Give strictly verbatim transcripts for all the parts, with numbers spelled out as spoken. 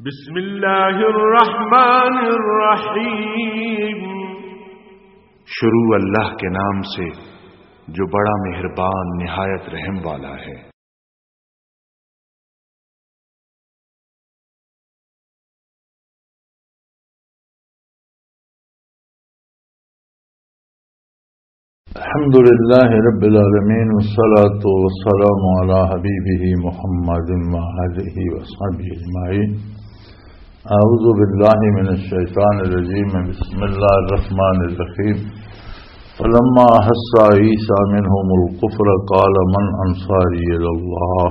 بسم اللہ الرحمن الرحیم۔ شروع اللہ کے نام سے جو بڑا مہربان نہایت رحم والا ہے۔ الحمد لله رب العالمين، والصلاة والسلام على حبيبه محمد وآله وصحبه أجمعين. أعوذ بالله من الشيطان الرجيم. بسم الله الرحمن الرحيم. فلما أحس عيسى منهم الكفر قال من أنصاري إلى الله؟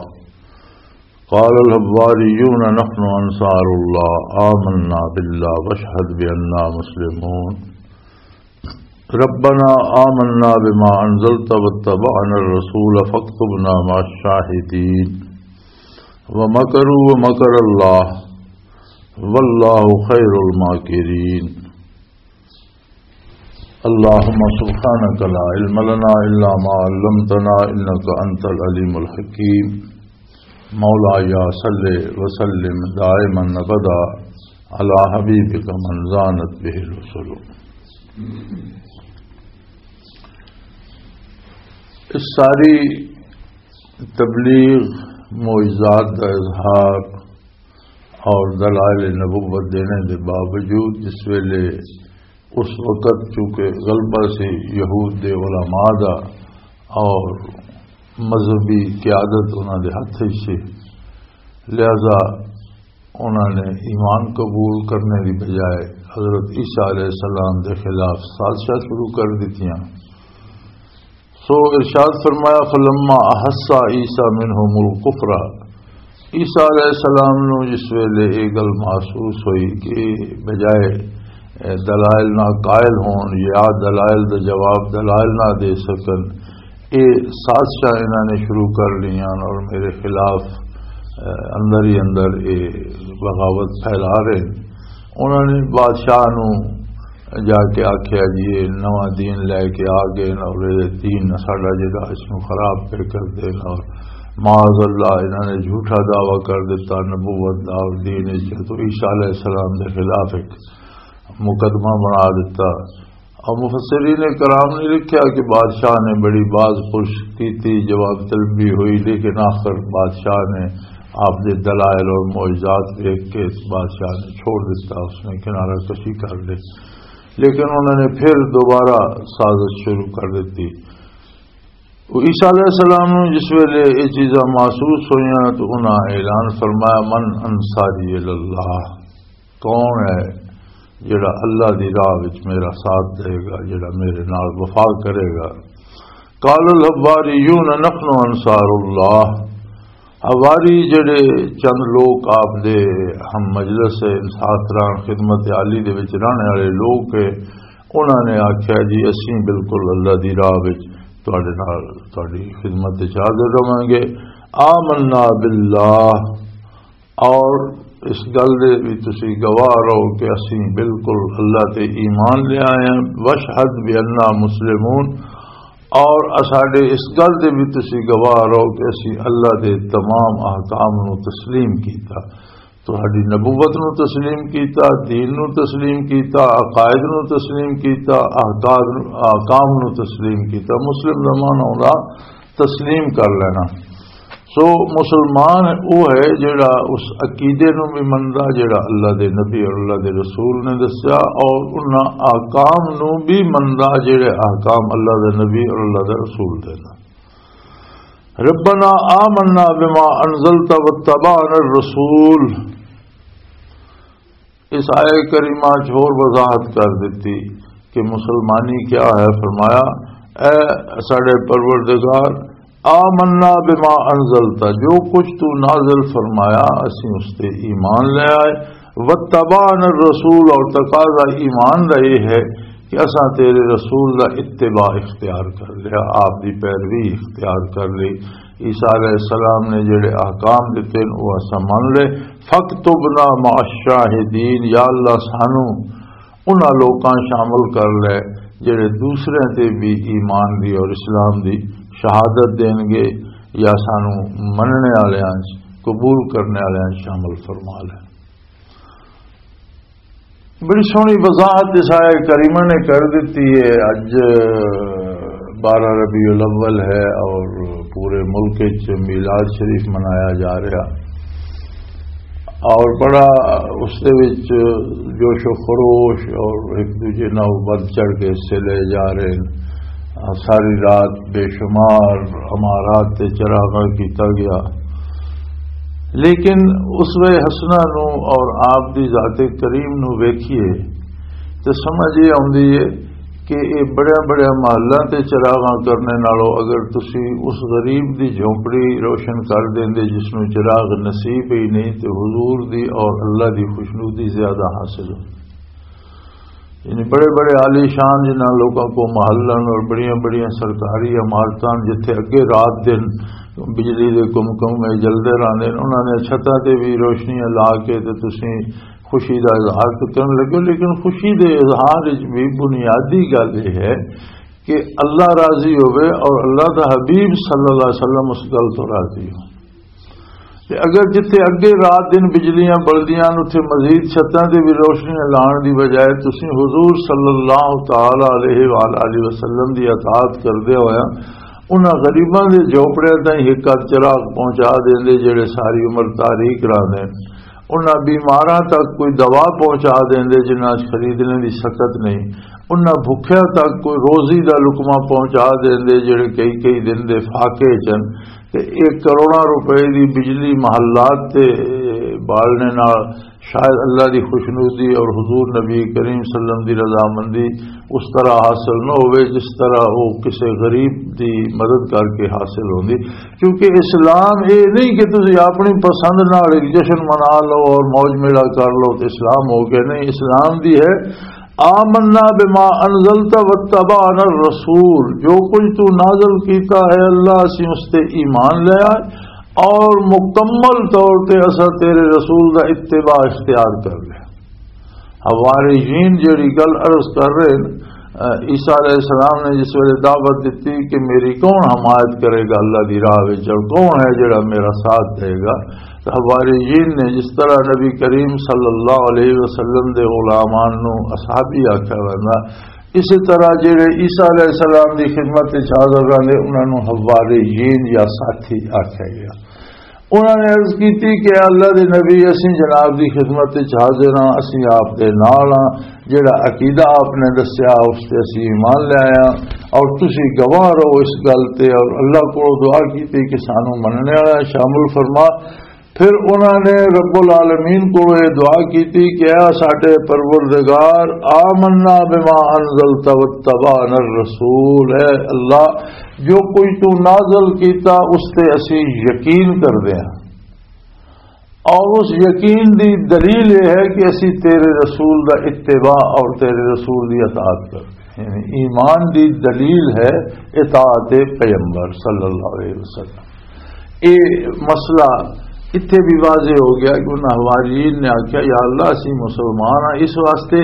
قال الحواريون نحن أنصار الله آمنا بالله واشهد بأننا مسلمون. ربنا آمنا بما أنزلت واتبعنا الرسول فاكتبنا مع الشاهدين. ومكروا ومكر الله والله خير الماكرين. اللهم سبحانك لا علم لنا إلا ما علمتنا إنك أنت العليم الحكيم. مولاي صل وسلم دائما أبدا على حبيبك من زانت به الرسل. اس ساری تبلیغ، معجزات کا اظہار اور دلائل نبوت دینے دے باوجود، جس ویلے اس وقت چونکہ غلبہ سی یہود دے علماء دا اور مذہبی قیادت انہاں دے ہتھ وچ سی، لہذا انہاں نے ایمان قبول کرنے دی بجائے حضرت عیسیٰ علیہ السلام دے خلاف سازشاں شروع کر دتیاں۔ سو ارشاد فرمایا، فلما احس عیسیٰ منہم الکفر، عیسیٰ علیہ السلام نو جس ویلے یہ گل محسوس ہوئی کہ بجائے، اے، دلائل نہ قائل ہون یا دلائل دا جواب دلائل نہ دے سکن، یہ سازشاں انہاں نے شروع کر لیاں اور میرے خلاف، اے، اندر ہی اندر یہ بغاوت پھیلا رہے۔ انہاں نے بادشاہ نو جا کے آکھیا، "جی، یہ نواں دین لے کے آ گئے نا، اور یہ دین ساڈا جڑا اس نو خراب پہ کر دے نا، اور معاذ اللہ انہاں نے جھوٹا دعویٰ کر دیتا نبوت دا اور دین اس۔" تو عیسیٰ علیہ السلام دے خلاف ایک مقدمہ بنا دیتا۔ اور مفسرین کرام نے لکھیا کہ بادشاہ نے بڑی باز پرس کیتی، جواب طلبی ہوئی، لیکن آخر بادشاہ نے آپ دے دلائل اور معجزات دیکھ کے اس بادشاہ نے چھوڑ دیتا، اس نے کنارہ کشی کر لی۔ لیکن انہوں نے پھر دوبارہ سازش شروع کر دیتی۔ وہ عیسیٰ علیہ السلام نوں جس ویلے یہ چیزاں محسوس ہوئیاں تو انہاں اعلان فرمایا، "من انصاری الی اللہ؟" کون ہے جڑا اللہ دی راہ وچ میرا ساتھ دے گا، جڑا میرے نال وفا کرے گا؟ قال الحواریون نحن انصار اللہ۔ حواری جڑے چند لوگ آپ دے ہم مجلس ہے، انصار خدمت عالی دے وچ رہنے والے لوگ ہے، انہاں نے آکھیا، "جی، اسیں بالکل اللہ دی راہ وچ تہاڈے نال، تہاڈی خدمت وچ حاضر رہواں گے۔" آمنا باللہ، اور اس گل دے بھی تسی گواہ رہو کہ اسی بالکل اللہ تے ایمان لے آئے ہیں، واشہد بأننا مسلمون، اور اساڈے اس گل دے بھی تسی گواہ رہو کہ اسی اللہ دے تمام احکام نو تسلیم کیتا، تہاڈی نبوت نو تسلیم کیتا، دین نو تسلیم کیتا، عقائد نو تسلیم کیتا، احکام، احکام نو تسلیم کیتا۔ مسلم دا معنی ہوندا تسلیم کر لینا۔ سو مسلمان وہ ہے جڑا اس عقیدے نو بھی مندا جڑا اللہ دے نبی اور اللہ دے رسول نے دسیا، اور انہاں احکام نو بھی مندا جڑے احکام اللہ دے نبی اور اللہ دے رسول دے۔ ربنا آمنا بما انزلت واتبعنا الرسول۔ اس آیہ کریمہ چ ہور وضاحت کر دتی کہ مسلمانی کیا ہے۔ فرمایا، اے ساڈے پروردگار، آمنا بما انزلتا، جو کچھ تو نازل فرمایا، اسیں اس تے ایمان لے آئے۔ واتبعنا الرسول، اور تقاضا ایمان دا یہ ہے کہ اساں تیرے رسول دا اتباع اختیار کر لیا، آپ دی پیروی اختیار کر لی۔ عیسیٰ علیہ السلام نے جڑے احکام دیتے ہیں، وہ اساں من لے۔ فاکتبنا مع الشاہدین، یا اللہ سانو انہاں لوکاں شامل کر لے جڑے دوسرے تے بھی ایمان دی اور اسلام دی شہادت دین گے، یا سانو مننے والےاں چ، قبول کرنے والےاں چ شامل فرما لے۔ بڑی سوہنی وضاحت اس آیہ کریمہ نے کر دیتی ہے۔ اج بارہ ربیع الاول ہے اور پورے ملک وچ میلاد شریف منایا جا رہا اور بڑا اس دے وچ جوش و خروش اور ایک دوجے نال ودھ چڑھ کے حصے لے جا رہے ہیں۔ ساری رات بے شمار امارات تے چراغاں کیتا گیا، لیکن اسوہ حسنہ نو اور آپ دی ذات کریم نو ویکھیے تے سمجھ یہ آندی ہے کہ یہ بڑے بڑے محلاں تے چراغاں کرنے نالوں اگر تسی اس غریب دی جھونپڑی روشن کر دیندے جس نو چراغ نصیب ہی نہیں، تے حضور دی اور اللہ دی خوشنودی زیادہ حاصل ہو۔ یعنی بڑے بڑے عالی شان جنہاں لوگوں کو محلن اور بڑیاں بڑیاں سرکاری عمارتاں جتھے اگے رات دن بجلی دے کم کم میں جلدے رہندے نے، انہاں نے چھتاں تے بھی روشنیاں لا کے تے تسی خوشی دا اظہار تو کرن لگے ہو، لیکن خوشی دے اظہار وچ بھی بنیادی گل یہ ہے کہ اللہ راضی ہوئے اور اللہ دا حبیب صلی اللہ علیہ وسلم اس گل تو راضی ہو۔ تے اگر جتھے اگے رات دن بجلیاں بلدیاں نے، اتھے مزید چھتاں تے بھی روشنیاں لان دی بجائے تسی حضور صلی اللہ تعالی علیہ وآلہ وسلم دی اطاعت کردے ہویا انہاں غریباں دے جھوپڑیاں تائیں ایک آدھ چراغ پہنچا دیندے جڑے ساری عمر تاریک رہندے، انہاں بیماراں تک کوئی دوا پہنچا دیندے جنہاں خریدنے دی سکت نہیں، انہاں بھکھیاں تک کوئی روزی دا لقمہ پہنچا دیندے جڑے کئی کئی دن دے فاقے چن۔ تے ایک کروڑاں روپے دی بجلی محلات تے بالنے نال شاید اللہ دی خوشنودی اور حضور نبی کریم صلی اللہ علیہ وسلم دی رضامندی اس طرح حاصل نہ ہوئے جس طرح وہ کسی غریب دی مدد کر کے حاصل ہوندی۔ کیونکہ اسلام یہ نہیں کہ تسی اپنی پسند نال ایک جشن منا لو اور موج میلہ کر لو تے اسلام ہو گیا۔ نہیں، اسلام دی ہے آمنا بما انزلت واتبعنا الرسول، جو کچھ تو نازل کیتا ہے اللہ، اسی اس تے ایمان لے آئے اور مکمل طور تے اسا تیرے رسول دا اتباع اختیار کر لیا۔ حواریین جڑی گل عرض کر رہے ہیں، عیسیٰ علیہ السلام نے جس ویلے دعوت دیتی کہ میری کون حمایت کرے گا اللہ دی راہ وچ اور کون ہے جڑا میرا ساتھ دے گا، تو حواریین نے جس طرح نبی کریم صلی اللہ علیہ وسلم دے غلامان نو اصحابی آکھیا ویندا، اسی طرح جڑے عیسیٰ علیہ السلام دی خدمت وچ حاضر رہندے انہاں نو حواریین یا ساتھی آکھیا گیا۔ انہاں نے عرض کیتی کہ اے اللہ دے نبی، اسیں جناب دی خدمت وچ حاضر ہاں، اسیں آپ دے نال ہاں، جڑا عقیدہ آپ نے دسیا اس تے اسیں ایمان لے آئے ہاں، اور تسی گواہ رہو اس گل تے، اور اللہ کو دعا کیتی کہ سانو مننے والا شامل فرما۔ پھر انہاں نے رب العالمین کو یہ دعا کیتی کہ اے ساڈے پروردگار، آمنا بما انزلت واتبعنا الرسول، اے اللہ، جو کوئی تو نازل کیتا اس تے اسی یقین کردے ہاں، اور اس یقین دی دلیل یہ ہے کہ اسی تیرے رسول دا اتباع اور تیرے رسول دی اطاعت کردے ہاں۔ یعنی ایمان دی دلیل ہے اطاعت پیغمبر صلی اللہ علیہ وسلم۔ یہ مسئلہ اتھے بھی واضح ہو گیا کہ انہاں حواریین نے آکھیا، یا اللہ، اسی مسلمان ہاں، اس واسطے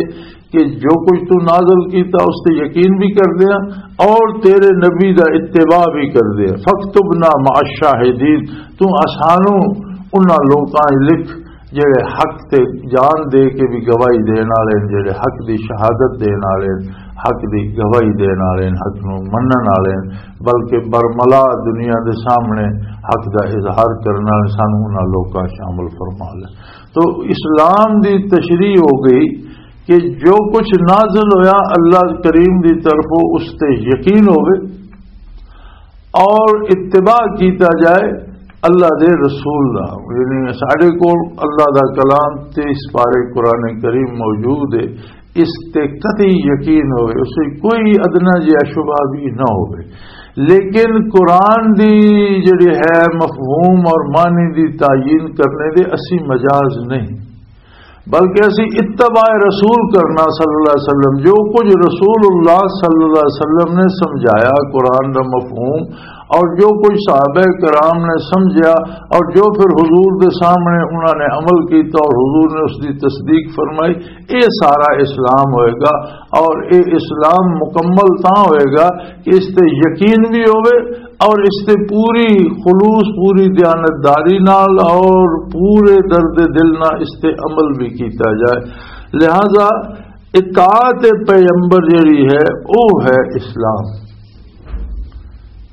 کہ جو کچھ تو نازل کیتا اس تے یقین بھی کردے ہاں اور تیرے نبی دا اتباع بھی کردے ہاں۔ فاکتبنا مع الشاہدین، تو اسانو انہاں لوکاں وچ لکھ جڑے حق تے جان دے کے بھی گواہی دین والے ہن، جڑے حق دی شہادت دین والے ہن، حق دی گواہی دین والے ہن، حق نو منن والے ہن، بلکہ برملا دنیا دے سامنے حق دا اظہار کرن والے، سانو انہاں لوکاں شامل فرما لے۔ تو اسلام دی تشریح ہو گئی کہ جو کچھ نازل ہویا اللہ کریم دی طرفوں، اس تے یقین ہوئے اور اتباع کیتا جائے اللہ دے رسول دا۔ یعنی ساڈے کول اللہ دا کلام تیس پارے قرآن کریم موجود ہے، اس تے قطعی یقین ہوئے، اس وچ کوئی ادنا جہا شبہ بھی نہ ہوئے۔ لیکن قرآن دی جڑی ہے مفہوم اور معنی دی تعین کرنے دے اسی مجاز نہیں، بلکہ اسی اتباع رسول کرنا صلی اللہ علیہ وسلم، جو کچھ رسول اللہ صلی اللہ علیہ وسلم نے سمجھایا قرآن دا مفہوم، اور جو کچھ صحابہ کرام نے سمجھا، اور جو پھر حضور دے سامنے انہاں نے عمل کیتا اور حضور نے اس دی تصدیق فرمائی، یہ سارا اسلام ہوئے گا۔ اور یہ اسلام مکمل تاں ہوئے گا کہ اس تے یقین بھی ہوئے اور اس تے پوری خلوص، پوری دیانتداری نال اور پورے درد دل نال اس تے عمل بھی کیتا جائے۔ لہذا اطاعت پیغمبر جڑی ہے، وہ ہے اسلام۔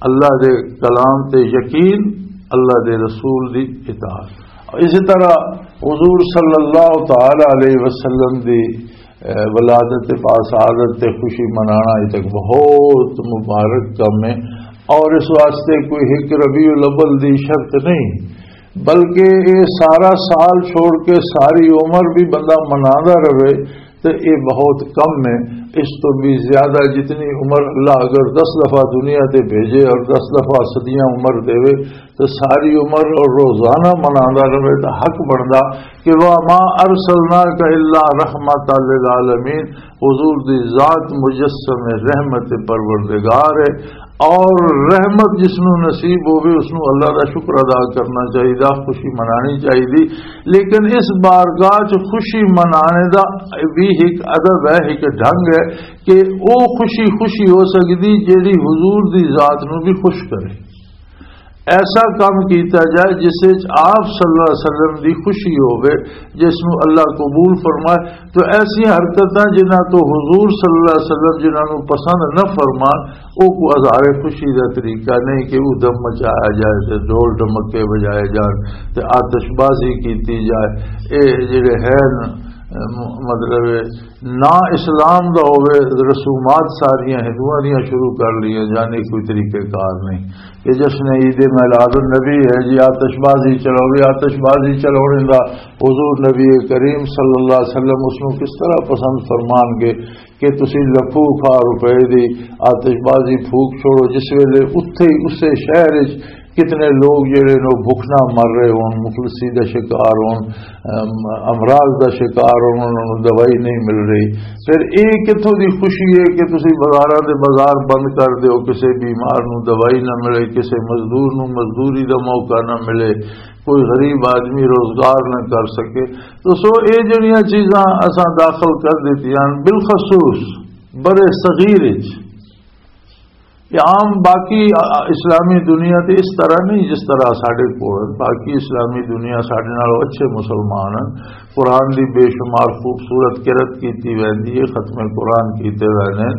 اللہ دے کلام تے یقین، اللہ دے رسول دی اطاعت۔ اسی طرح حضور صلی اللہ تعالی علیہ وسلم دی، اے، ولادت پاک سعادت تے خوشی منانا، یہ تک بہت مبارک کم ہے۔ اور اس واسطے کوئی ایک ربیع الاول دی شرط نہیں، بلکہ یہ سارا سال چھوڑ کے ساری عمر بھی بندہ مناتا رہے، تو یہ بہت کم ہے۔ اس تو بھی زیادہ، جتنی عمر اللہ اگر دس دفعہ دنیا تے بھیجے اور دس دفعہ صدیاں عمر دے، تو ساری عمر اور روزانہ منانا رہے تو حق بندا کہ "وما ارسلناک الا رحمتا للعالمین"، حضور دی ذات مجسم رحمت پروردگار ہے۔ اور رحمت جس نو نصیب ہوے، اس نو اللہ دا شکر ادا کرنا چاہیدا، خوشی منانی چاہیدی۔ لیکن اس بارگاہ چ خوشی منانے دا بھی ایک ادب ہے، ایک ڈھنگ ہے کہ او خوشی خوشی ہو سکدی جیڑی حضور دی ذات نو بھی خوش کرے۔ ایسا کام کیتا جائے جس وچ آپ صلی اللہ علیہ وسلم دی خوشی ہوے، جس نو اللہ قبول فرمائے۔ تو ایسی حرکتاں جنہاں تو حضور صلی اللہ علیہ وسلم جنہاں نو پسند نہ فرمان، او کو اظہار خوشی دا طریقہ نہیں کہ ادھم مچایا جائے تے ڈھول ڈمکے بجائے جان تے آتش بازی کیتی جائے۔ اے جڑے ہیں، م-، مطلب نا اسلام دا ہوے، رسومات ساریاں ہندوؤں دیاں شروع کر لیاں جان، یہ کوئی طریقہ کار نہیں۔ کہ جشن عید میلاد النبی ہے جی، آتش بازی چلاؤ گے، آتش بازی چلاؤنے دا حضور نبی کریم صلی اللہ علیہ وسلم اس نو کس طرح پسند فرمان گے کہ تسی لکھوں کھا روپے دی آتش بازی پھوک چھوڑو، جس ویلے اتھے ہی اسے شہر وچ کتنے لوگ جڑے نو بھوک نہ مر رہے ہون، مفلسی دا شکار ہون، ام، امراض دا شکار ہون، انہاں نوں دوائی نہیں مل رہی۔ پھر اے کتھوں دی خوشی ہے کہ تسی بازاراں دے بازار بند کر دیو، کسے بیمار نوں دوائی نہ ملے، کسے مزدور نوں مزدوری دا موقع نہ ملے، کوئی غریب آدمی روزگار نہ کر سکے؟ تو سو اے جڑیاں چیزاں اساں داخل کر دتیاں، بالخصوص برے صغیر وچ۔ یہ عام باقی، آ، آ، اسلامی دنیا تے اس طرح نہیں جس طرح ساڈے کول۔ باقی اسلامی دنیا ساڈے نال اچھے مسلمان ہیں۔ قرآن دی بے شمار خوبصورت قرت کیتی ویندی ہے، ختم قرآن کیتے ویندے ہیں،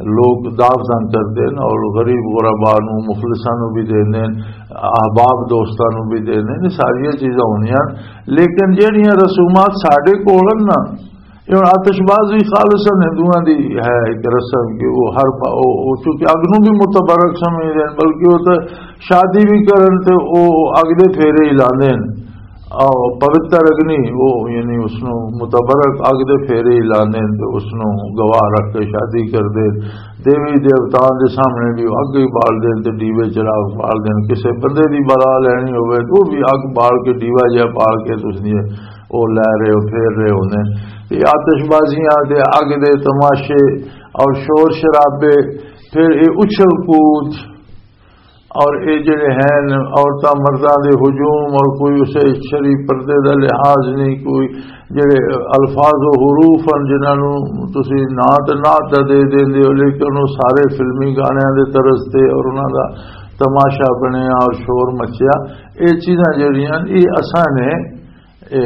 لوگ دعوتاں کردے ہیں اور غریب غربا نو، مفلساں نو بھی دیندے ہیں، احباب دوستاں نو بھی دیندے ہیں۔ یہ ساریاں چیزاں ہونیاں، لیکن جہڑیاں رسومات ساڈے کول ہیں نا، یہ ہن آتش بازی خالصاً ہندوؤں دی ہے ایک رسم کہ وہ ہر پا-، وہ، وہ چونکہ اگ نوں بھی متبرک سمجھدے ہیں، بلکہ وہ تو شادی بھی کرن تے وہ اگ دے پھیرے ہی لاندے ہیں۔ آ، پوتر اگنی، وہ یعنی اس نوں متبرک اگ دے پھیرے ہی لاندے ہیں تے اس نوں گواہ رکھ کے شادی کردے ہیں۔ دیوی دیوتاؤں دے سامنے بھی اگ ہی بال دے تے ڈیوے چراغ بال دے۔ کسے بندے دی بلا لینی ہوئے تو وہ بھی اگ بال کے، ڈیوا جہا بال کے تے اس دی او لے رہے ہو، پھیر رہے ہوندے۔ یہ آتش بازیاں تے اگ دے تماشے اور شور شرابے، پھر یہ اچھل کود اور یہ جڑے ہیں عورتاں مرداں دے ہجوم، اور کوئی اسے شرعی پردے دا لحاظ نہیں، کوئی جڑے الفاظ و حروف ہیں جنہاں نوں تسی نعت، نعت دا دے دیندے ہو، لیکن وہ سارے فلمی گانیاں دے طرز تے اور انہاں دا تماشا بنیا اور شور مچیا۔ یہ چیزاں جڑیاں، یہ اساں نے اے،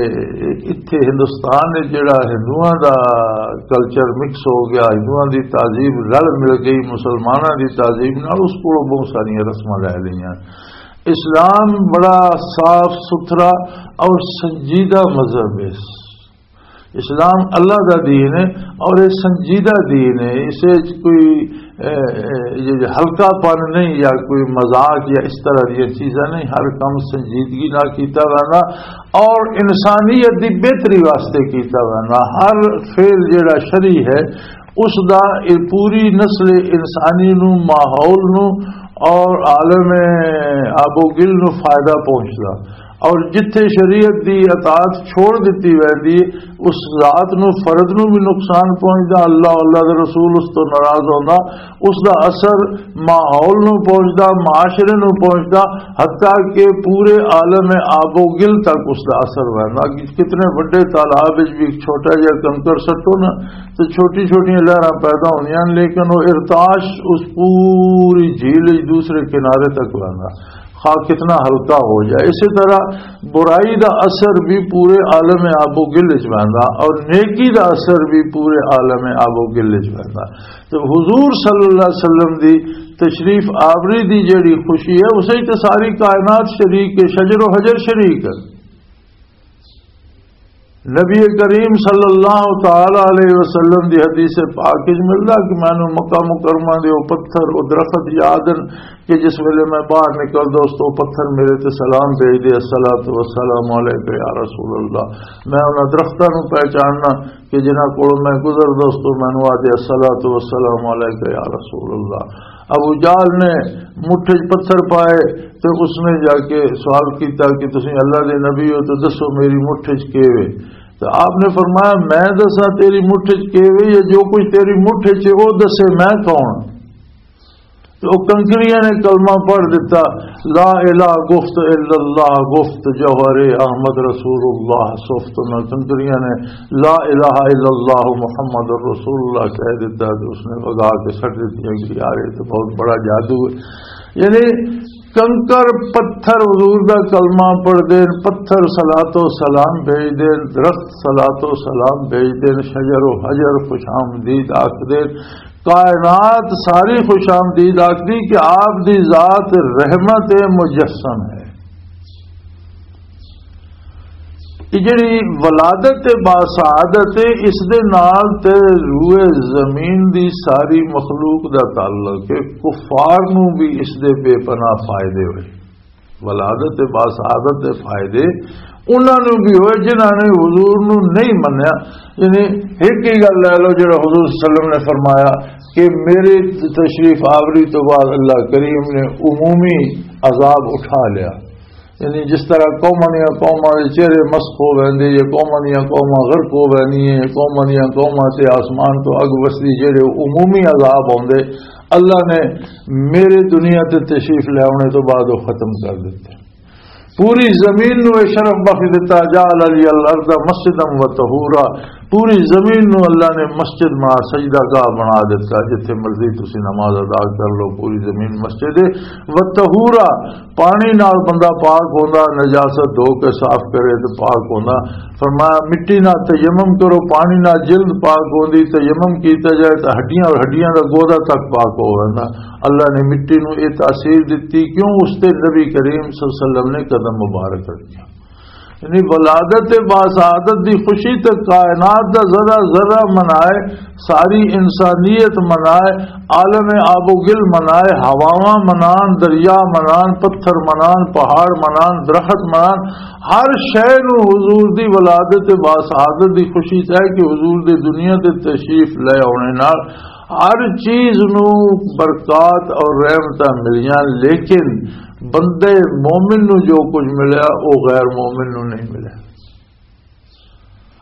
اتھے ہندوستان وچ جڑا ہندوؤں دا کلچر مکس ہو گیا، ہندوؤں دی تہذیب رل مل گئی، مسلماناں دی تہذیب نال، اس کولوں بہت ساریاں رسماں لے لئیاں۔ اسلام بڑا صاف ستھرا اور سنجیدہ مذہب ہے۔ اسلام اللہ دا دین ہے اور یہ سنجیدہ دین ہے۔ اسے وچ کوئی، اے، اے، یہ جو ہلکا پن نہیں یا کوئی مذاق یا اس طرح دی چیزاں نہیں، ہر کم سنجیدگی نال کیتا ویندا اور انسانیت دی بہتری واسطے کیتا ویندا۔ ہر فعل جڑا شرعی ہے، اس دا یہ پوری نسل انسانی نو، ماحول نو اور عالم آب و گل نو فائدہ پہنچدا۔ اور جتھے شریعت دی اطاعت چھوڑ دتی ویندی، اس ذات نو، فرد نو بھی نقصان پہنچدا، اللہ، اللہ دے رسول اس تو ناراض ہوندا، اس دا اثر ماحول نو پہنچدا، معاشرے نو پہنچدا، حتیٰ کہ پورے عالم آب و گل تک اس دا اثر ویندا۔ کہ کتنے وڈے تالاب وچ بھی ایک چھوٹا جہا کنکر سٹو نا، تو چھوٹی چھوٹیاں لہراں پیدا ہوندیاں ہن، لیکن وہ ارتعاش اس پوری جھیل وچ دوسرے کنارے تک ویندا۔ آ کتنا ہلکا ہو جائے۔ اسی طرح برائی دا اثر بھی پورے عالم آب و گل وچ ویندا اور نیکی دا اثر بھی پورے عالم آب و گل وچ ویندا۔ تو حضور صلی اللہ علیہ وسلم دی تشریف آوری دی جڑی خوشی ہے، اسے تے ساری کائنات شریک ہے، شجر و حجر شریک ہے۔ نبی کریم صلی اللہ تعالی علیہ وسلم دی حدیث پاک وچ ملدا کہ مینوں مکہ مکرمہ دے او پتھر، او درخت یاد ہن کہ جس ویلے میں باہر نکلدا، اس تو پتھر میرے تے سلام بھیج دے، "الصلاۃ والسلام علیک یا رسول اللہ۔" میں انہاں درختاں نوں پہچاننا کہ جنہاں کول میں گزردا، اس تو مینوں آ دے، "الصلاۃ والسلام علیک یا رسول اللہ۔" ابو جہل نے مٹھ وچ پتھر پائے تے اس نے جا کے سوال کیتا کہ "تسیں اللہ دے نبی ہو تو دسو میری مٹھ وچ کی وے؟" تو آپ نے فرمایا، "میں دساں تیری مٹھ وچ کی وے، یا جو کچھ تیری مٹھ وچ ہے، وہ دسے میں کون؟" تو وہ کنکریاں نے کلمہ پڑھ دیتا، "لا الہ گفت الا اللہ، گفت جوہر احمد رسول اللہ سفت۔" نہ کنکریاں نے "لا الہ الا اللہ محمد رسول اللہ" کہہ دیتا، تو اس نے وگا کے سٹ دیتی کہ "یار، یہ تو بہت بڑا جادو ہے۔" یعنی کنکر پتھر حضور دا کلمہ پڑھ دین، پتھر صلوات و سلام بھیج دین، درخت صلوات و سلام بھیج دین، شجر و حجر خوش آمدید آکھ دین، کائنات ساری خوش آمدید آکھ دی کہ آپ دی ذات رحمت مجسم ہے۔ یہ جڑی ولادت باسعادت ہے، اس دے نال تے روئے زمین دی ساری مخلوق دا تعلق ہے۔ کفار نوں بھی اس دے بے پناہ فائدے ہوئے، ولادت باسعادت دے فائدے انہاں نوں بھی ہوئے جنہاں نے حضور نوں نہیں منیا۔ یعنی ایک ہی گل لے لو، جڑا حضور صلی اللہ علیہ وسلم نے فرمایا کہ میرے تشریف آوری تو بعد اللہ کریم نے عمومی عذاب اٹھا لیا۔ یعنی جس طرح قوماں دیاں قوماں دے چہرے مسخ ہو ویندے، یا قوماں دیاں قوماں غرق ہو ویندیاں، یا قوماں دیاں قوماں تے آسمان تو اگ وسدی، جڑے عمومی عذاب ہوندے، اللہ نے میرے دنیا تے تشریف لے آنے تو بعد وہ ختم کر دیتے۔ پوری زمین نو یہ شرف بخش دیتا، "جعل لی الارض مسجدا و طہورا۔" پوری زمین نو اللہ نے مسجد بنا، سجدہ گاہ بنا دیتا، جتھے مرضی تسی نماز ادا کر لو، پوری زمین مسجد ہے۔ و طہورا، پانی نال بندہ پاک ہوندا، نجاست دھو کے صاف کرے تے پاک ہوندا۔ فرمایا، مٹی نال تیمم کرو، پانی نال جلد پاک ہوندی، تیمم کیتا جائے تے ہڈیاں اور ہڈیاں دا گودا تک پاک ہو ویندا۔ اللہ نے مٹی نو یہ تاثیر دتی، کیوں؟ اس تے نبی کریم صلی اللہ علیہ وسلم نے قدم مبارک رکھیا۔ یعنی ولادت باسعادت دی خوشی تے کائنات دا ذرہ ذرہ منائے، ساری انسانیت منائے، عالم آب و گل منائے، ہواواں منان، دریا منان، پتھر منان، پہاڑ منان، درخت منان، ہر شے نو حضور دی ولادت باسعادت دی خوشی چاہے کہ حضور دے دنیا تے تشریف لے آنے نال ہر چیز نو برکات اور رحمتاں ملیاں، لیکن بندے مومن نو جو کچھ ملیا، وہ غیر مومن نو نہیں ملیا۔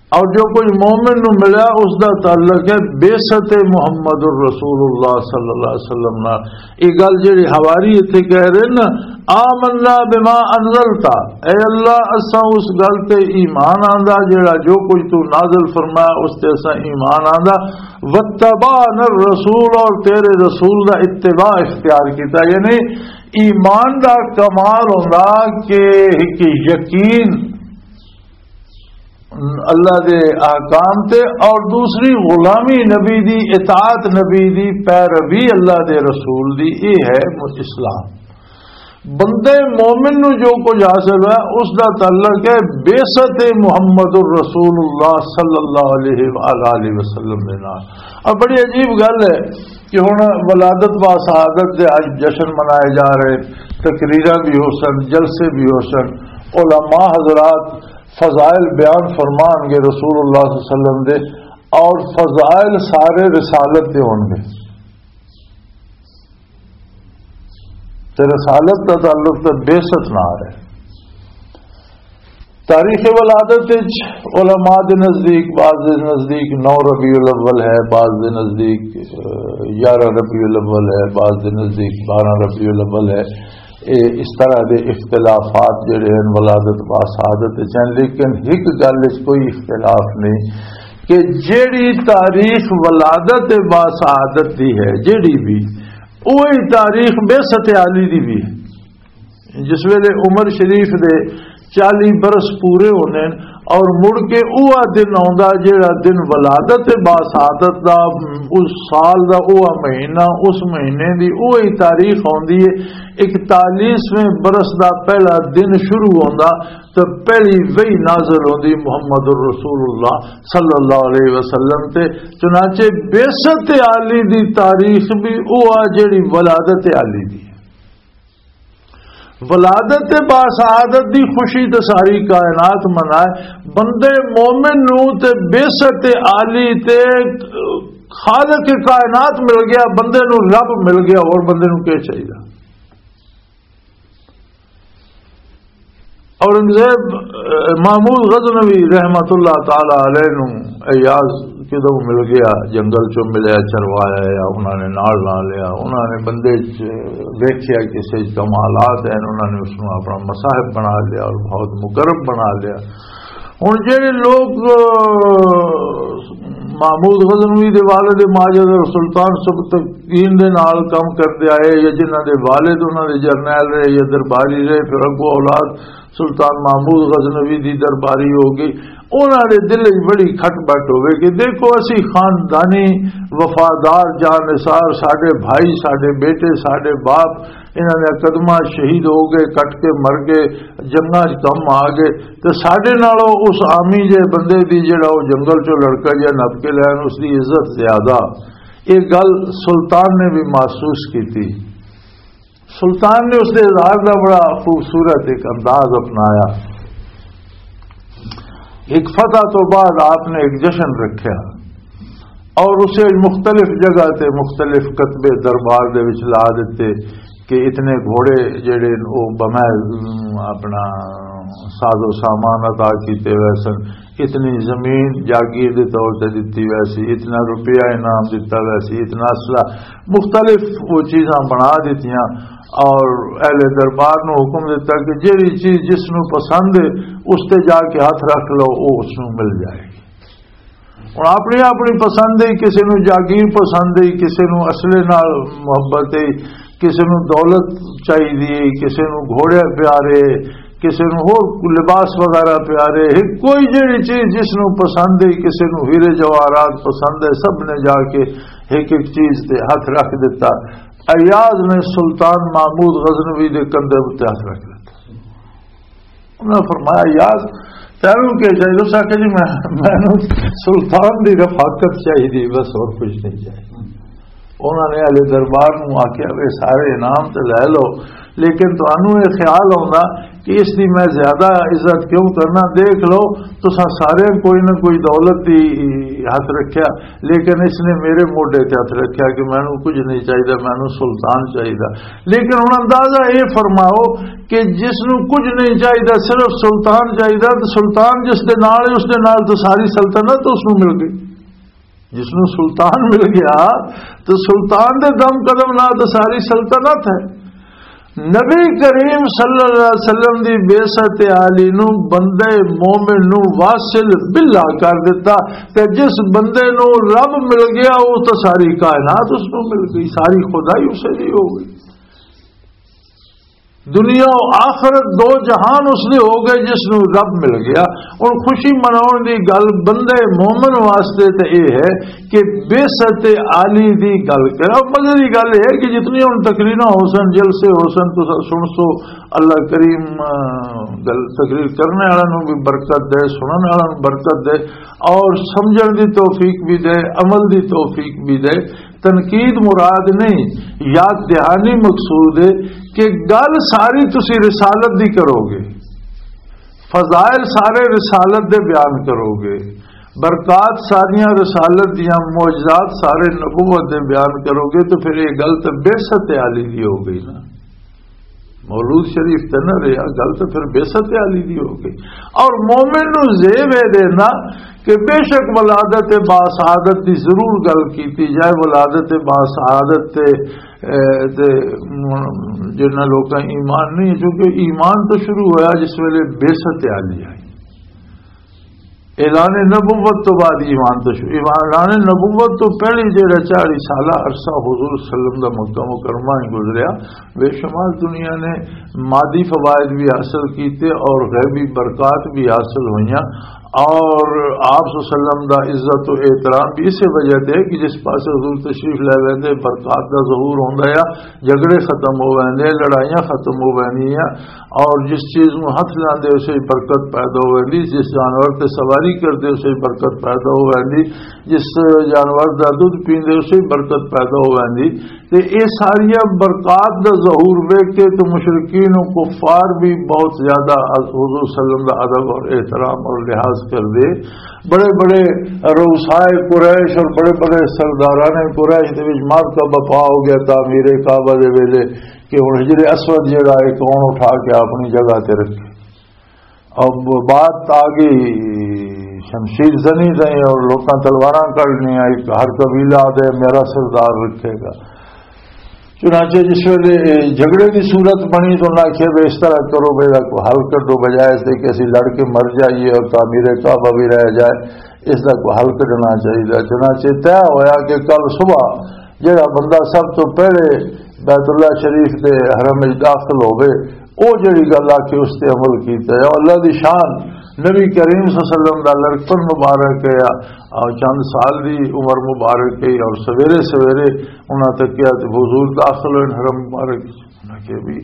اور جو کچھ مومن نو ملیا، اس دا تعلق ہے بعثت محمد الرسول اللہ صلی اللہ علیہ وسلم نال۔ یہ گل جڑی حواری اتھے کہہ رہے نا، "آمنا بما انزلتا"، اے اللہ، اساں اس گل تے ایمان آندا جڑا جو کچھ تو نازل فرمایا، اس تے اساں ایمان آندا۔ "واتبعنا الرسول"، اور تیرے رسول دا اتباع اختیار کیتا۔ یعنی ایمان دا کمال ہوندا کہ ایک یقین اللہ دے احکام تے، اور دوسری غلامی نبی دی، اطاعت نبی دی، پیروی اللہ دے رسول دی، یہ ہے اسلام۔ بندے مومن نو جو کچھ حاصل ہے، اس دا تعلق ہے بعثت محمد الرسول اللہ صلی اللہ علیہ وآلہ وسلم دے نال۔ اور بڑی عجیب گل ہے کہ ہن ولادت با سعادت دے اج جشن منائے جا رہے، تقریراں بھی ہو سن، جلسے بھی ہو سن، علماء حضرات فضائل بیان فرمان گے رسول اللہ صلی اللہ علیہ وسلم دے، اور فضائل سارے رسالت دے ہون گے۔ تے رسالت دا تعلق تے بعثت نال ہے۔ تاریخ ولادت وچ علماء دے نزدیک، بعض دے نزدیک نو ربیع الاول ہے، بعض دے نزدیک، اہ، یارہ ربیع الاول ہے، بعض دے نزدیک بارہ ربیع الاول ہے۔ اے اس طرح دے اختلافات جڑے ہیں ولادت با سعادت وچ ہیں، لیکن ایک گل وچ کوئی اختلاف نہیں کہ جیڑی تاریخ ولادت با سعادت دی ہے، جیڑی بھی، وہی تاریخ بعثت عالی دی بھی ہے۔ جس ویلے عمر شریف دے چالی برس پورے ہوندے نے اور مڑ کے اوہ دن آوندا جیڑا دن ولادت باسعادت دا، اس سال دا اوہ مہینہ، اس مہینے دی اوہی تاریخ آوندی ہے، اکتالیسویں برس دا پہلا دن شروع ہوندا، تے پہلی وحی نازل ہوندی محمد الرسول اللہ صلی اللہ علیہ وسلم تے۔ چنانچہ بعثت عالی دی تاریخ بھی اوہ جیڑی ولادت عالی دی۔ ولادت باسعادت دی خوشی تے ساری کائنات منائے۔ بندے مومن نو تے بعثت عالی تے خالق کائنات مل گیا، بندے نو رب مل گیا، اور بندے نو کیا چاہیے؟ اورنگزیب، اہ، محمود غزنوی رحمت اللہ تعالی علیہ نو ایاز کدوں مل گیا، جنگل چوں ملیا، چروایا یا انہاں نے نال لا لیا، انہاں نے بندے چ ویکھیا کسے چ کمالات ہیں، انہاں نے اس نو اپنا مصاحب بنا لیا اور بہت مقرب بنا لیا۔ ہن جڑے لوگ، اہ، محمود غزنوی دے والد ماجد اور سلطان سبکتگین دے نال کم کردے آئے یا جنہاں دے والد انہاں دے جرنیل رہے یا درباری رہے، پھر اگوں اولاد سلطان محمود غزنوی دی درباری ہو گئی، انہاں دے دل وچ بڑی کھٹ بٹ ہوے کہ دیکھو، اسی خاندانی وفادار جانثار، ساڈے بھائی، ساڈے بیٹے، ساڈے باپ، انہاں دے قدماں شہید ہو گئے، کٹ کے مر گئے، جنگاں وچ کم آ گئے، تے ساڈے نالوں اس عامی جے بندے دی، جڑا او جنگل چوں لڑکا جہا نپ کے لین، اس دی عزت زیادہ۔ یہ گل سلطان نے بھی محسوس کی تھی۔ سلطان نے اس دے اظہار دا بڑا خوبصورت ایک انداز اپنایا۔ ایک فتح تو بعد آپ نے ایک جشن رکھا اور اسے مختلف جگہ تے مختلف کتبے دربار دے وچ لا دیتے کہ اتنے گھوڑے جڑے او بمے، ام، اپنا ساز و سامان عطا کیتے ہوئے سن، اتنی زمین جاگیر دے طور تے دتی ہوئی سی، اتنا روپیہ انعام دتا ہوا سی، اتنا اسلحہ، مختلف وہ چیزاں بنا دتیاں اور اہل دربار نو حکم دتا کہ جیڑی چیز جس نو پسند ہے، اس تے جا کے ہاتھ رکھ لو، وہ اس نو مل جائے گی۔ ہن اپنی اپنی پسند ہے، کسے نو جاگیر پسند ہے، کسے نو اسلحے نال محبت ہے، کسے نو دولت چاہیے، کسے نو گھوڑے پیارے، کسے نو ہور لباس وغیرہ پیارے، ہک کوئی جیڑی چیز جس نو پسند ہے، کسے نو ہیرے جواہرات پسند ہے، سب نے جا کے ہک ہک چیز تے ہاتھ رکھ دتا۔ ایاز نے سلطان محمود غزنوی دے کندھے اُتے ہاتھ رکھ دتا۔ انہاں فرمایا، "یار، تینوں کی چاہیے؟" اس آکھیا، "جی، میں، مینوں سلطان دی رفاقت چاہیے، بس اور کچھ نہیں چاہیے۔" انہاں نے اہل دربار نوں آکھیا، "اے سارے انعام تے لے لو، لیکن تانوں یہ خیال ہوندا کہ اس دی میں زیادہ عزت کیوں کرنا؟ دیکھ لو، تساں سارے کوئی نہ کوئی دولت دی ہاتھ رکھیا، لیکن اس نے میرے موڈے تے ہاتھ رکھیا کہ مینوں کچھ نہیں چاہیدا، مینوں سلطان چاہیدا۔" لیکن ہن اندازہ اے فرماؤ کہ جس نوں کچھ نہیں چاہیدا، صرف سلطان چاہیدا، تے سلطان جس دے نال ہے، اس دے نال تو ساری سلطنت اس نوں مل گئی۔ جس نوں سلطان مل گیا، تو سلطان دے دم قدم نال تو ساری سلطنت ہے۔ نبی کریم صلی اللہ علیہ وسلم دی بعثت عالی نو بندے مومن نو واصل باللہ کر دیتا، تے جس بندے نو رب مل گیا، وہ تو ساری کائنات اس نو مل گئی، ساری خدائی اسے دی ہو گئی۔ دنیا و آخرت دو جہان اس دے ہو گئے جس نو رب مل گیا۔ ہن خوشی مناؤن دی گل بندے مومن واسطے تے اے ہے کہ بعثت عالی دی گل کرا۔ مزے دی گل اے ہے کہ جتنی ہن تقریراں ہو سن، جلسے ہو سن، تساں سن سو، اللہ کریم، آ، گل تقریر کرنے والا نو بھی برکت دے، سنن والا نو برکت دے، اور سمجھن دی توفیق بھی دے، عمل دی توفیق بھی دے۔ تنقید مراد نہیں، یاد دہانی مقصود ہے کہ گل ساری تسی رسالت دی کرو گے، فضائل سارے رسالت دے بیان کرو گے، برکات ساریاں رسالت دیاں، معجزات سارے نبوت دے بیان کرو گے، تو پھر یہ گل تو بعثت عالی دی ہو گئی نا۔ مولود شریف تے نہ رہیا، گل تے پھر بعثت علی دی ہو گئی۔ اور مومن نو زیب اے دینا کہ بے شک ولادت باسعادت دی ضرور گل کیتی جائے، ولادت باسعادت تے، اے، تے جنہاں لوکاں ایمان نہیں، کیونکہ ایمان تو شروع ہویا جس ویلے بعثت علی آئی۔ اعلان نبوت تو بعد ایمان تو شروع، ایمان، اعلان نبوت تو پہلے جڑا چالیس سالہ عرصہ حضور صلی اللہ علیہ وسلم دا مکہ مکرمہ ہی گزریا، بے شمار دنیا نے مادی فوائد بھی حاصل کیتے اور غیبی برکات بھی حاصل ہوئیاں۔ اور آپ صلی اللہ علیہ وسلم دا عزت و احترام بھی اسی وجہ تے کہ جس پاسے حضور تشریف لے ویندے، برکات دا ظہور ہوندا ہے، جھگڑے ختم ہو ویندے، لڑائیاں ختم ہو ویندیاں، اور جس چیز نوں ہتھ لاندے، اسے برکت پیدا ہو ویندی۔ جس جانور تے سواری کردے، اسے برکت پیدا ہو ویندی۔ جس جانور دا دودھ پیندے، اسے برکت پیدا ہو ویندی۔ تے اے ساریاں برکات دا ظہور ویکھ کے تے مشرکین و کفار بھی بہت زیادہ حضور صلی اللہ علیہ وسلم دا ادب اور احترام اور لحاظ کردے۔ بڑے بڑے رؤسائے قریش اور بڑے بڑے سرداران قریش دے وچ مارکا بپا ہو گیا تعمیر کعبہ دے ویلے، کہ ہن حجر اسود جڑا ہے، کون اٹھا کے اپنی جگہ تے رکھے۔ اب بات آ گئی شمشیر زنی تائیں اور لوکاں تلواراں کڈنیاں، ایک ہر قبیلہ آ دے میرا سردار رکھے گا۔ چنانچہ جس ویلے جھگڑے دی صورت بنی تو انہاں آکھیا، "بے اس طرح کرو، بے دا کوئی حل کڈو، بجائے اس دے کہ اسی لڑ کے مر جائیے اور تعمیر کعبہ بھی رہ جائے، اس دا کوئی حل کڈنا چاہیے۔" چنانچہ طے ہویا کہ کل صبح جڑا بندہ سب تو پہلے بیت اللہ شریف دے حرم وچ داخل ہوے، او جڑی گل آکھی اس تے عمل کیتا ہے۔ او اللہ دی شان، نبی کریم صلی اللہ علیہ وسلم دا لڑکپن مبارک ہے، اور چند سال دی عمر مبارک ہے، اور سویرے سویرے انہاں تکیا تے حضور داخل ہوئے حرم مبارک۔ انہاں کہ بھی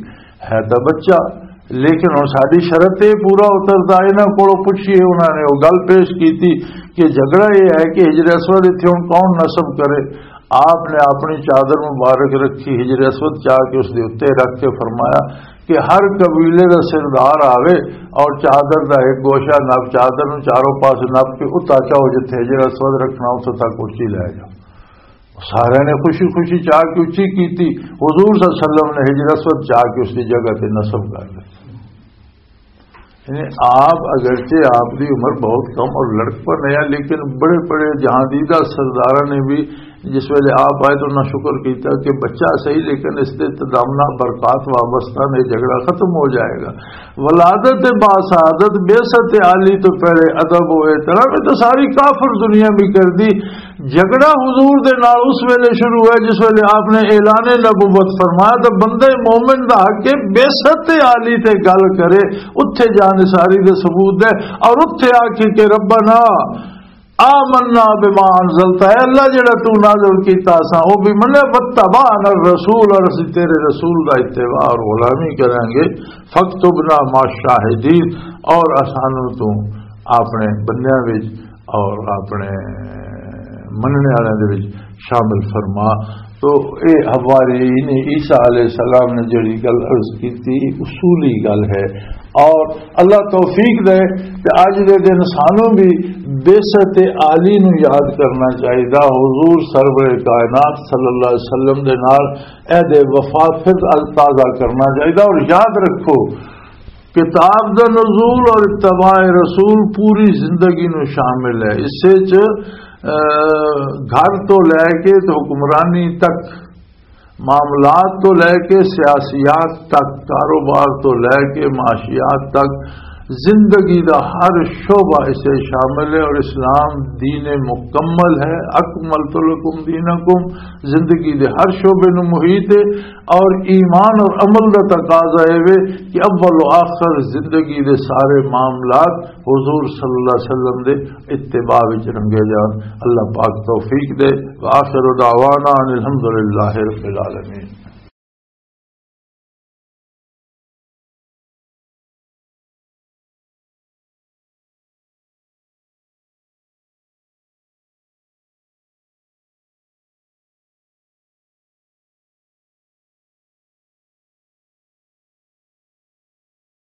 ہے تاں بچہ، لیکن ہن ساڈی شرط تے پورا اتردا، انہاں کولوں پچھیے۔ انہاں نے او گل پیش کیتی کہ جھگڑا یہ ہے کہ حجر اسود اتھے ہن کون نصب کرے؟ آپ نے اپنی چادر مبارک رکھی، حجر اسود چا کے اس دے اُتے رکھ کے فرمایا کہ ہر قبیلے دا سردار آوے اور چادر دا ایک گوشہ نپ، چادر نوں چاروں پاس نپ کے اتھا چاؤ، جتھے حجر اسود رکھنا، اتھوں تک اچی لے جاؤ۔ سارے نے خوشی خوشی چا کے اچی کیتی۔ حضور صلی اللہ علیہ وسلم نے حجر اسود چا کے اس دی جگہ تے نصب کر دتا۔ یعنی آپ، اگرچہ آپ دی عمر بہت کم اور لڑکپن ہے، لیکن بڑے بڑے جہاندیدہ سرداراں نے بھی، جس ویلے آپ آئے تو انہاں شکر کیتا کہ بچہ صحیح، لیکن اس تے تدامنا برکات وابستہ نے، جھگڑا ختم ہو جائے گا۔ ولادت با سعادت، بعثت عالی تو پہلے ادب و احترام، یہ تو ساری کافر دنیا بھی کر دی۔ جھگڑا حضور دے نال اس ویلے شروع ہے جس ویلے آپ نے اعلان نبوت فرمایا، تو بندے مومن دا حق ہے بعثت عالی تے گل کرے، اتھے جان ساری دے ثبوت دے، اور اتھے آ کے کہ "ربنا آمنا بما انزلت"، اے اللہ جڑا تو نازل کیتا اساں او بھی منیا، "واتبعنا الرسول"، اور اسی تیرے رسول دا اتباع اور غلامی کریں گے، "فاکتبنا مع الشاہدین"، اور اسانوں تو اپنے بندیاں وچ اور اپنے مننے والے دے وچ شامل فرما۔ تو اے حوارین عیسیٰ علیہ السلام نے جڑی گل عرض کیتی، اصولی گل ہے، اور اللہ توفیق دے کہ اج دے دن سانوں بھی بعثت عالی نو یاد کرنا چاہیدا۔ حضور سرور کائنات صلی اللہ علیہ وسلم دے نال عہد وفا پھر تازہ کرنا چاہیدا۔ اور یاد رکھو، کتاب دا نزول اور اتباع رسول پوری زندگی نو شامل ہے۔ اس وچ، آ، گھر تو لے کے تے حکمرانی تک، معاملات تو لے کے سیاسیات تک، کاروبار تو لے کے معاشیات تک، زندگی دا ہر شعبہ اسے شامل ہے، اور اسلام دین مکمل ہے۔ اکملت لکم دینکم، زندگی دے ہر شعبے نو محیط ہے، اور ایمان اور عمل دا تقاضا اے وے کہ اول و آخر زندگی دے سارے معاملات حضور صلی اللہ علیہ وسلم دے اتباع وچ رنگے جان۔ اللہ پاک توفیق دے۔ وآخر دعوانا ان الحمدللہ رب العالمین۔